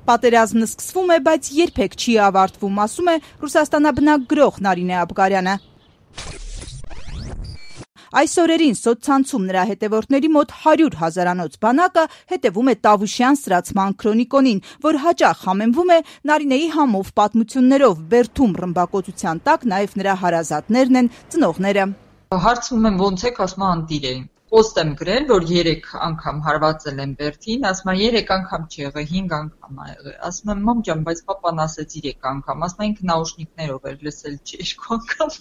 Պատերազմն սկսվում է, բայց երբեք չի ավարտվում, ասում է Ռուսաստանաբնակ գրող Նարինե Աբգարյանը։ Այս օրերին սոցցանցում նրա հետևորդների մոտ 100 հազարանոց բանակը հետևում է Տավուշյան սրացման քրոնիկոնին, որ հաճախ համեմվում է Նարինեի համով պատմություններով, բերդում ռմբակոծության տակ նաև նրա հարազատներն են, ծնողները։ Հարցնում եմ ոնց եք, ասում անտիր էին։ Պոստ եմ գրել, որ 3 անգամ հարվածել եմ բերդին, ասում եմ 3 անգամ չի եղել, 5 անգամ ա եղել։ Ասում եմ մամ ջան, բայց պապան ասեց 3 անգամ, ասում եմ ինքը նաուշնիկներով էր լսել, չի 2 անգամ։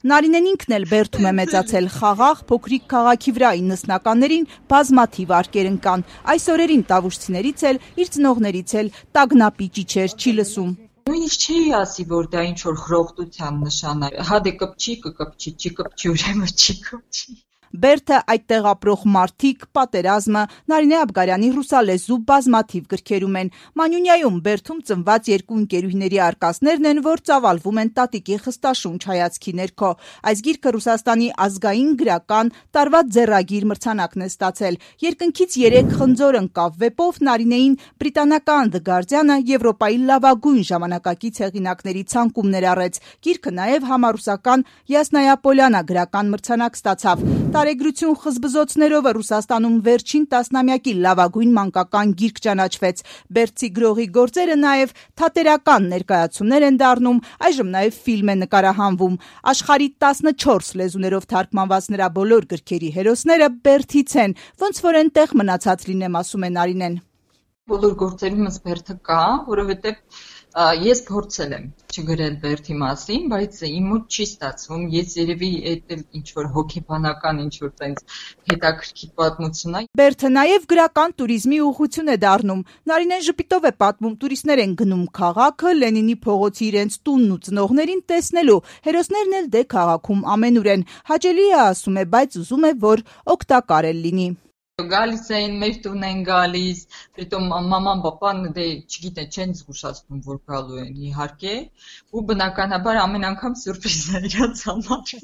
Նարինեն ինքն էլ բերդում է մեծացել, խաղաղ, փոքրիկ քաղաքի վրա 90-ականներին բազմաթիվ արկեր ընկան։ Այս օրերին տավուշցիներից էլ, իր ծնողներից էլ տագնապի ճիչեր չի լսում։ Նույնիսկ չի ասի, որ դա ինչ որ խրոխտության նշան է։ Հա դե կպչի, կկպչի, չի կպչի, ուրեմն չի կպչի։ Բերդը, այդտեղ ապրող մարդիկ, պատերազմը, Նարինե Աբգարյանի ռուսալեզու բազմաթիվ գրքերում են։ Մանյունյայում Բերդում ծնված 2 ընկերուհիների արկածներն են, որ ծավալվում են տատիկի խստաշունչ հայացքի ներքո։ Այս գիրքը Ռուսաստանի ազգային գրական տարվա ձեռագիր մրցանակն է ստացել։ Երկնքից 3 խնձոր ընկավ վեպով Նարինեին բրիտանական The Guardian-ը Եվրոպայի լավագույն ժամանակակից հեղինակների ցանկում ներառեց։ Գիրքը նաև համառուսական Յասնայա Պոլյանա գրական մրցանակ ստացավ։ Տարեգրություն խզբզոցներով Ռուսաստանում վերջին տասնամյակի լավագույն մանկական գիրք ճանաչվեց։ Բերդցի գրողի գործերը նաև թատերական ներկայացումներ են դառնում, այժմ նաև ֆիլմ է նկարահանվում։ Աշխարհի 14 լեզուներով թարգմանված նրա բոլոր գրքերի հերոսները Բերդից են, ոնց որ այնտեղ մնացած լինեմ, ասում է Նարինեն։ Բոլոր գործերումս Բերդը կա, որովհետև ես փորձել եմ չգրել Բերդի մասին, բայց իմ մոտ չի ստացվում։ Ես երևի այդ ինչ որ հոգեբանական ինչ որ տենց հետաքրքիր պատմություն է։ Բերդը նաև գրական туриզմի ուղղություն է դառնում։ Նարինեն ժպիտով է պատմում, տուրիստներ են գնում քաղաքը, Լենինի փողոցի իրենց տունն ու ծնողներին տեսնելու։ Հերոսներն էլ դե քաղաքում ամենուր են։ Հաճելի է, ասում է, բայց ուզում է, որ օգտակար էլ լինի։ Գալիս էին, մեր տուն են գալիս, պրիտոմ մաման, պապան դե չգիտեն, չեն զգուշացնում, որ գալու են, իհարկե, ու բնականաբար ամեն անգամ սյուրպրիզներ իրաց համար։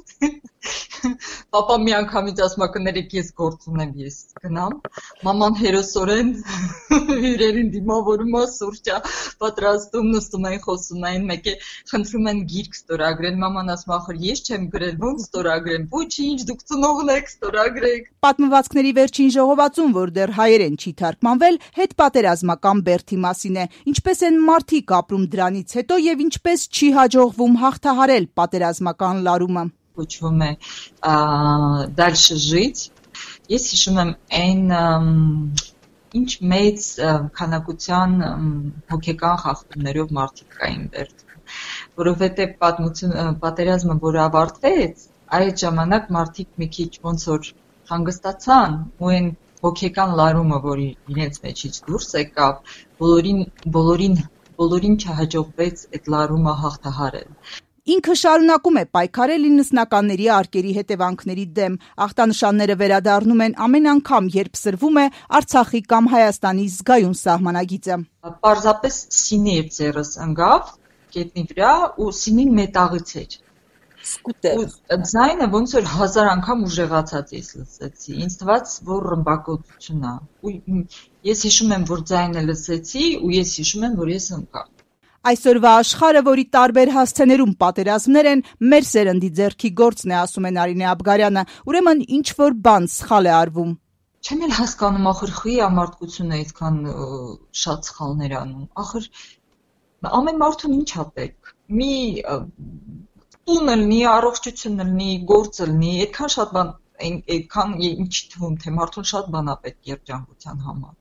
Պապա մի անգամից ասում է կներեք ես գործ ունեմ, ես գնամ, մաման հերոսորեն հյուրերին դիմավորում է, սուրճա պատրաստում, նստում են, խոսում են, մեկ է խնդրում են գիրք ստորագրել, մաման ասում ախր ես չեմ գրել, ոնց ստորագրեմ, ոչինչ, դուք ծնողն եք, ստորագրեք։ Պատմվածքների վերջին ժողովածուն, որ դեռ հայերեն չի թարգմանվել, հետպատերազմական Բերդի մասին է։ Ինչպես են մարդիկ ապրում դրանից հետո եւ ինչպես չի հաջողվում հաղթահարել պատերազմական լարումը։ Կոչվում է «Դальше жить»։ Ես հիշում եմ այն ինչ մեծ քանակության հոգեկան խախտումներով մարդիկ կային Բերդում, որովհետեւ պատերազմը որ ավարտվեց, այդ ժամանակ մարդիկ մի քիչ ոնց որ հանգստացան ու այն հոգեկան լարումը, որ իրենց մեջից դուրս եկավ, բոլորին չհաջողվեց այդ լարումը հաղթահարել։ Ինքը շարունակում է պայքարել 90-ականների արկերի հետևանքների դեմ։ Ախտանշանները վերադառնում են ամեն անգամ, երբ սրվում է Արցախի կամ Հայաստանի զգայուն սահմանագիծը։ Պարզապես սինի էր ձեռս ընկավ գետնի վրա ու սինին մետաղից էր։ Ձայնը ոնց որ 1000 անգամ ուժեղացած ես լսեցի։ Ինձ թվաց, որ ռմբակոծություն է։ Ու ես հիշում եմ, որ ձայնը լսեցի ու ես հիշում եմ, որ ես ընկա։ Այսօրվա աշխարհը, որի տարբեր հասցեներում պատերազմներ են, մեր սերնդի ձեռքի գործն է, ասում է Նարինե Աբգարյանը, ուրեմն ինչ որ բան սխալ է արվում։ Չեմ էլ հասկանում, ախր խի ամարտկությունը այդքան շատ սխալներ անում։ Ախր ամեն մարդուն ինչ է պետք։ Մի տունը լինի, առողջությունը լինի, գործը լինի, այդքան շատ բան, այդքան ինչ թվում, թե մարդուն շատ բան է պետք երջանկության համար։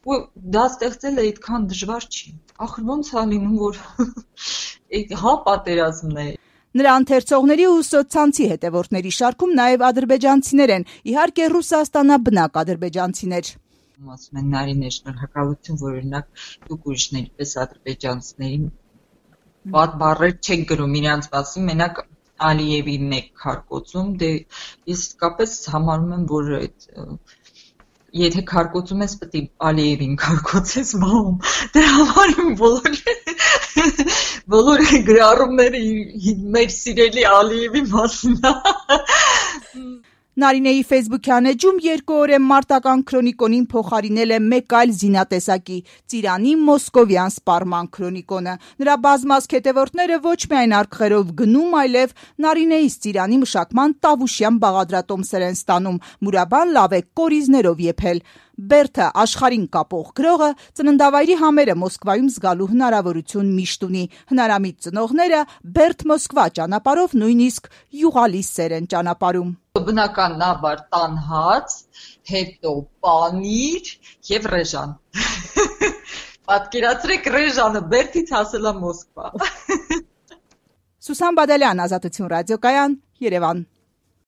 Ու դա ստեղծելը այդքան դժվար չի։ Ախր ոնց է լինում, որ հա պատերազմն է։ Նրա ընթերցողների ու սոցցանցի հետևորդների շարքում նաև ադրբեջանցիներ են, իհարկե ռուսաստանաբնակ ադրբեջանցիներ։ Ասում են Նարինե, շնորհակալություն, որ օրինակ դուք ուրիշների պես ադրբեջանցիներին վատ բառեր չեք գրում իրանց մասին, մենակ Ալիևին եք քարկոծում, դե ես իսկապես համարում եմ, որ եթե քարկոծում ես, պետք է Ալիևին քարկոծես, բամ։ Դե համարում բոլոր գրառումները մեր սիրելի Ալիևի մասին։ Նարինեի ֆեյսբուքյան էջում 2 օր է մարտական քրոնիկոնին փոխարինել է մեկ այլ զինատեսակի՝ Ծիրանի մոսկովյան սպառման քրոնիկոնը։ Նրա բազմազգ հետևորդները ոչ միայն արկղերով գնում, այլև Նարինեից Ծիրանի մշակման տավուշյան բաղադրատոմսեր են ստանում, մուրաբան լավ է կորիզներով եփել։ Բերթը աշխարհին կապող գրողը ծննդավայրի համերը Մոսկվայում զգալու հնարավորություն միշտ ունի։ Հնարամիտ ծնողները Բերթ Մոսկվա ճանապարհով նույնիսկ յուղալի սեր են ճանապարհում։ Բնականաբար տան հաց, հետո պանիր եւ ռեժան։ Պատկերացրեք ռեժանը Բերթից հասել է Մոսկվա։ Սուսան Բադալյան, Ազատություն ռադիոկայան, Երևան։